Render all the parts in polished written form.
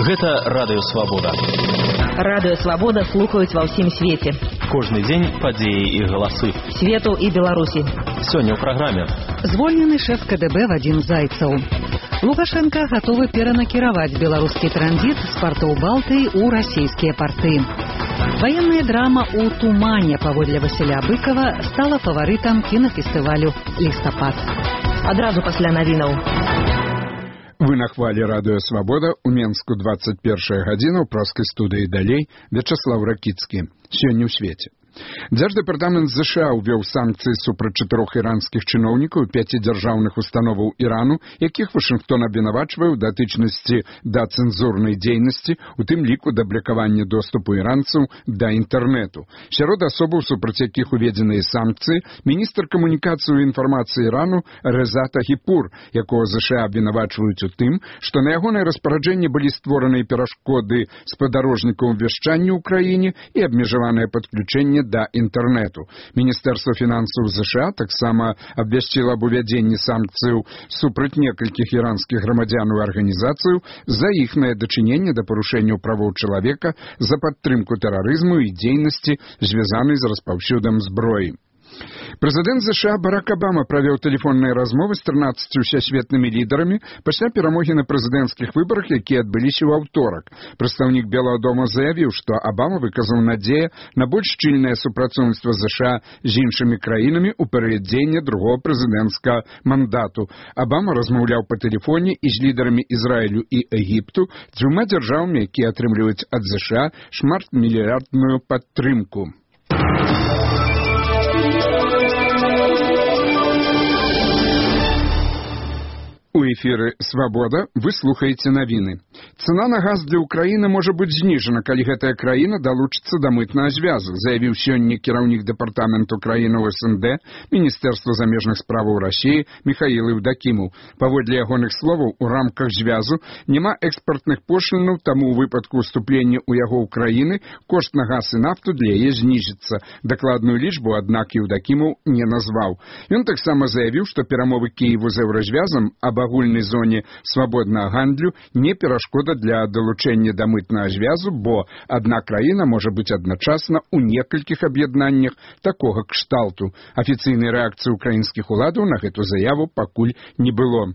Гэта Радыё Свабода. Радыё Свабода слухаюць ва ўсім свеце. Кожны дзень падзеі і галасы. Свету і Беларусі. Сёння ў праграме. Звольнены шэф КДБ Вадзім Зайцаў. Лукашенко гатовы перанакіраваць беларускі транзіт з партоў Балтыі ў расійскія парты. Ваенная драма ў тумане паводле Васіля Быкова стала фаварытам кінафестывалю «Лістапад». Адразу пасля навінаў. Вы на хвале Радыё Свабода, у Менску 21 гадзіна, у праскай студыі далей, Вячаслав Ракіцкі. Сёння ў свеце. Дзярждэпартамент ЗША ўвёў санкцыі супраць 4 іранскіх чыноўнікаў 5 дзяржаўных установаў Ірану, якіх Вашынгтон абвінавачвае ў датычнасці да цэнзурнай дзейнасці, у тым ліку да блакавання доступу іранцаў да інтэрнэту. Сярод асобаў, супраць якіх уведзеныя санкцыі, міністр камунікацыі і інфармацыі Ірану Рэза Тагіпур, якога ЗША абвінавачваюць у тым, што на ягонае распараджэнне былі створаныя перашкоды спадарожнікаў вяшчання ў краіне і абмежаванае падключэнне да інтэрнэту. Міністэрства фінансаў ЗША таксама абвясціла аб увядзенні санкцыяў супраць некалькіх іранскіх грамадзянаў і арганізацыяў за іхнае дачыненне да парушэнняў правоў чалавека, за падтрымку тэрарызму і дзейнасці, звязанай з распаўсюдам зброі. Прэзідэнт ЗША Барак Абама правёў тэлефонныя размовы з 13 усесветнымі лідарамі пасля перамогі на прэзідэнцкіх выбарах, якія адбыліся ў аўторак. Прадстаўнік Белага дома заявіў, што Абама выказаў надзею на больш шчыльнае супрацоўніцтва ЗША з іншымі краінамі ў перыяд дзеяння другого прэзідэнцкага мандату. Абама размаўляў па тэлефоне і з лідарамі Ізраілю і Егіпту, дзвюма дзяржавамі, якія атрымліваюць ад ЗША шматмільярдную падтрымку. У эфіры «Свабода» вы слухаеце навіны. Цана на газ для Украіны можа быць знижана, калі гэтая краіна далучыцца да мытнага звязу, заявіў сёння кіраўнік дэпартаменту краіны ў СНД, Міністэрства замежных справаў Расіі Міхаіл Еўдакімаў. Паводле ягоных словаў, у рамках звязу няма экспартных пошлінаў, таму ў выпадку ўступлення ў яго ўкраіны кошт на газ і нафту для яе знізіцца. Дакладную лічбу, аднак, Еўдакімаў не назваў. Ён таксама заявіў, што перамовы Кіеву з еўразвязам аб агульнай зоне свабоднага гандлю не перашкода для далучэння да мытнага звязу, бо адна краіна можа быць адначасна ў некалькіх аб'яднаннях такога кшталту. Афіцыйнай рэакцыі ўкраінскіх уладаў на гэту заяву пакуль не было.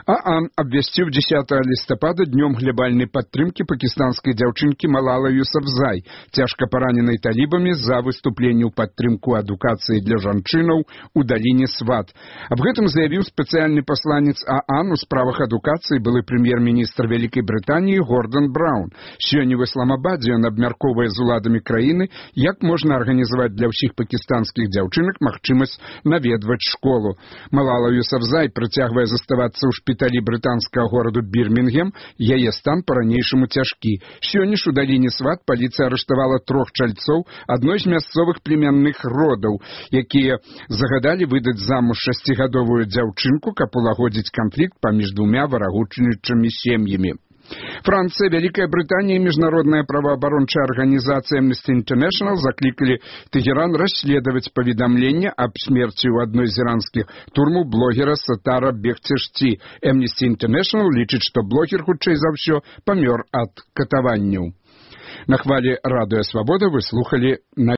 ААН абвясціў 10 лістапада днём глябальнай падтрымкі пакістанскай дзяўчынкі Малала Юсафзай, цяжка параненай талібамі за выступленне ў падтрымку адукацыі для жанчынаў у даліне Сват. Аб гэтым заявіў спецыяльны пасланец ААН у справах адукацыі былы прэм'ер-міністр Вялікай Брытаніі Гордон Браўн. Сёння ў Ісламабадзе ён абмяркоўвае з уладамі краіны, як можна арганізаваць для ўсіх пакістанскіх дзяўчынак магчымасць наведваць школу. Малала Юсафзай працягвае заставацца ў шпіталі брытанскага гораду Бірмінгем, яе стан па-ранейшаму цяжкі. Сёння ж у даліне Сват паліцыя арыштавала 3 чальцоў адной з мясцовых племянных родаў, якія загадалі выдаць замуж 6гадовую дзяўчынку, каб улагодзіць канфлікт паміж двумя варагучнічымі сем'ямі. Францыя, Вялікая Брытанія і міжнародная праваабарончая арганізацыя Amnesty International заклікалі Тэгеран расследаваць паведамленне аб смерці ў адной з іранскіх турмаў блогера Сатара Бехцешти. Amnesty International лічыць, што блогер, хутчэй за ўсё, памёр ад катаванняў. На хвале Радыё Свабода вы слухалі